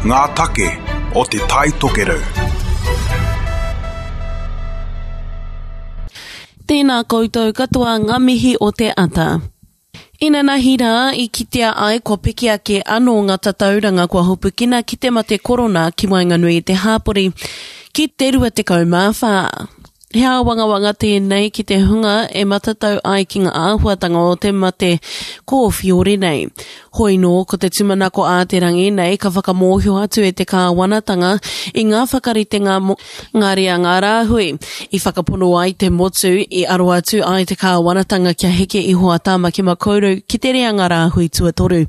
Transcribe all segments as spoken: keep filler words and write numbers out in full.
Ngā take o Te Tai Tokerau. Tēnā koutou katoa ngā mihi o te ata. Inanahi rā i kitea ai kua piki ake anō ngā tatauranga kua hopukina ki te mate korona ki waenganui i te hāpori ki te rua tekau mā whā. He āwangawanga tēnei ki te hunga e matatau ai ki ngā āhuatanga o te mate kōwhiori nei. Hoi nō, ko te tūmanako ā te rangi nei ka whakamōhio atu e te kāwanatanga i ngā whakaritenga mō ngā reanga rāhui. I whakapono ai te motu, i aro atu ai te kāwanatanga kia heke iho a Tāmaki Makaurau ki te reanga rāhui tuatoru.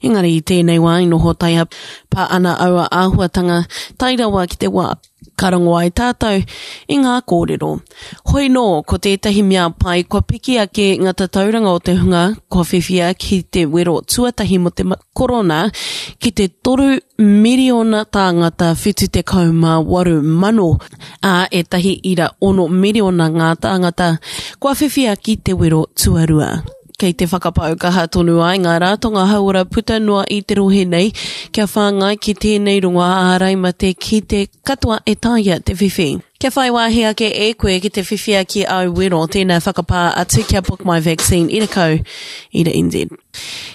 Engari i tēnei wā i noho taiapa ana aua āhuatanga tae rawa ki te wā ka rongo ai tātou i ngā kōrero. Hoi nō, ko tētahi mea pai kua piki ake ngā tatauranga o te hunga kua whiwhia ki te wero tuatahi mō te korona ki te toru miriona tāngata whitu tekau mā waru mano, ā, ētahi ira ono miriona ngā tāngata kua whiwhia ki te wero tuarua. Kei te whakapau kaha tonu ai ngā ratonga hauora puta noa i te rohe nei kia whāngai ki tēnei rongoā ārai mate ki te katoa e taea te whiwhi. Kia whai wāhi ake e koe ki te whiwhia ki āu wero, tēnā whakapā atu kia Book My Vaccine ira kau, ira N Z.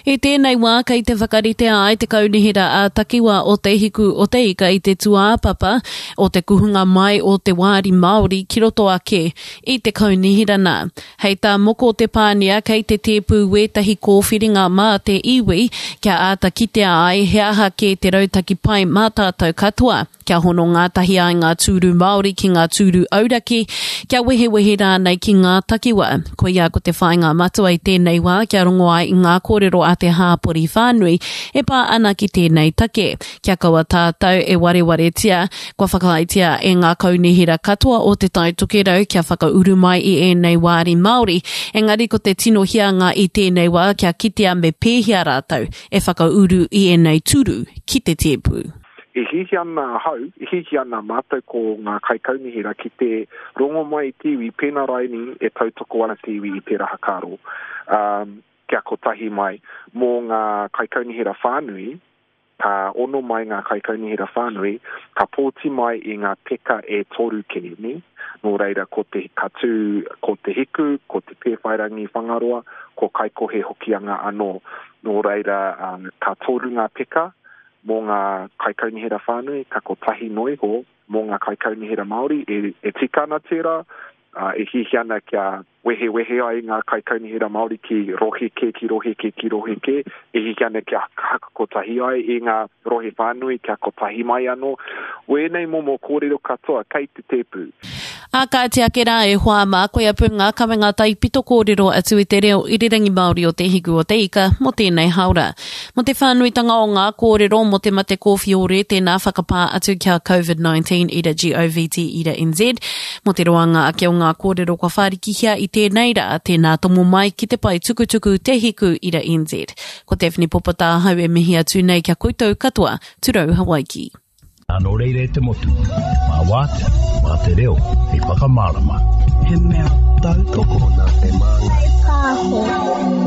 I tēnei wā kei te whakaritea ai te kaunihera ā-takiwā o Te Hiku o Te Ika i te tūāpapa o te kuhunga mai o te wāri Māori ki roto ake i te kaunihera nā. Hei tā Moko Te Pānia kei te tēpū wētahi kōwhiringa mā te iwi kia āta kitea ai he aha kē te rautaki pai mā tātou katoa, kia hono ngātahi ai ngā tūru Māori ki ngā tūru auraki, kia wehewehe rānei ki ngā takiwā. Koia ko te whāinga matua i tēnei wā kia rongo ai i ngā kōrero a te hāpori whānui e pā ana ki tēnei take. Kia kaua tātou e warewaretia, kua whakaaetia e ngā kaunihera katoa o Te Tai Tokerau kia whakauru mai i ēnei wāri Māori, engari ko te tino hianga i tēnei wā kia kitea me pēhea rātou e whakauru i ēnei tūru ki te tēpu. E hiahia ana ahau, e hiahia ana mātou ko ngā kaikaunihera ki te rongo mai i te iwi, pēnā raini e tautoko ana te iwi i tērā hakaaro, um, kia kotahi mai. Mō ngā kaikaunihera whānui, ka ono mai ngā kaikaunihera whānui, ka pōti mai i ngā peka e toru kē, nē? Nō reira, ko te, ka tū ko Te Hiku, ko Te Pēwhairangi Whangaroa, ko Kaikohe Hokianga anō. Nō reira, um, ka toru ngā peka mō ngā kaikaunihera whānui, ka kotahi noa iho mō ngā kaikaunihera Māori. E, e tika ana tērā, ā, e hiahia ana kia wehewehe ai ngā kaikaunihera Māori ki rohe kē, ki rohe kē, ki rohe kē, e hiahia ana kia hakakotahi ai i ngā rohe whānui, kia kotahi mai anō. Wēnei momo kōrero katoa kei te tēpu. Ā, kāti ake rā e hoa mā, koia pū ngā kawenga taipito kōrero atu i te reo irirangi Māori o Te Hiku o Te Ika mō tēnei hāora. Mō te whānuitanga o ngā kōrero mō te mate kōwhiore, tēnā whakapā atu kia covid nineteen ira govt ira N Z. Mō te roanga ake o ngā kōrero kua whārikihia i tēnei rā, tēnā tomo mai ki te pae tukutuku Te Hiku ira N Z. Ko Daphne Popata ahau e mihi atu nei kia koutou katoa, Turau Hawaiki. Nō reira e te motu, mā wātea, mā te reo, hei whakamārama. He mea tautoko nā te māngai. Pāho.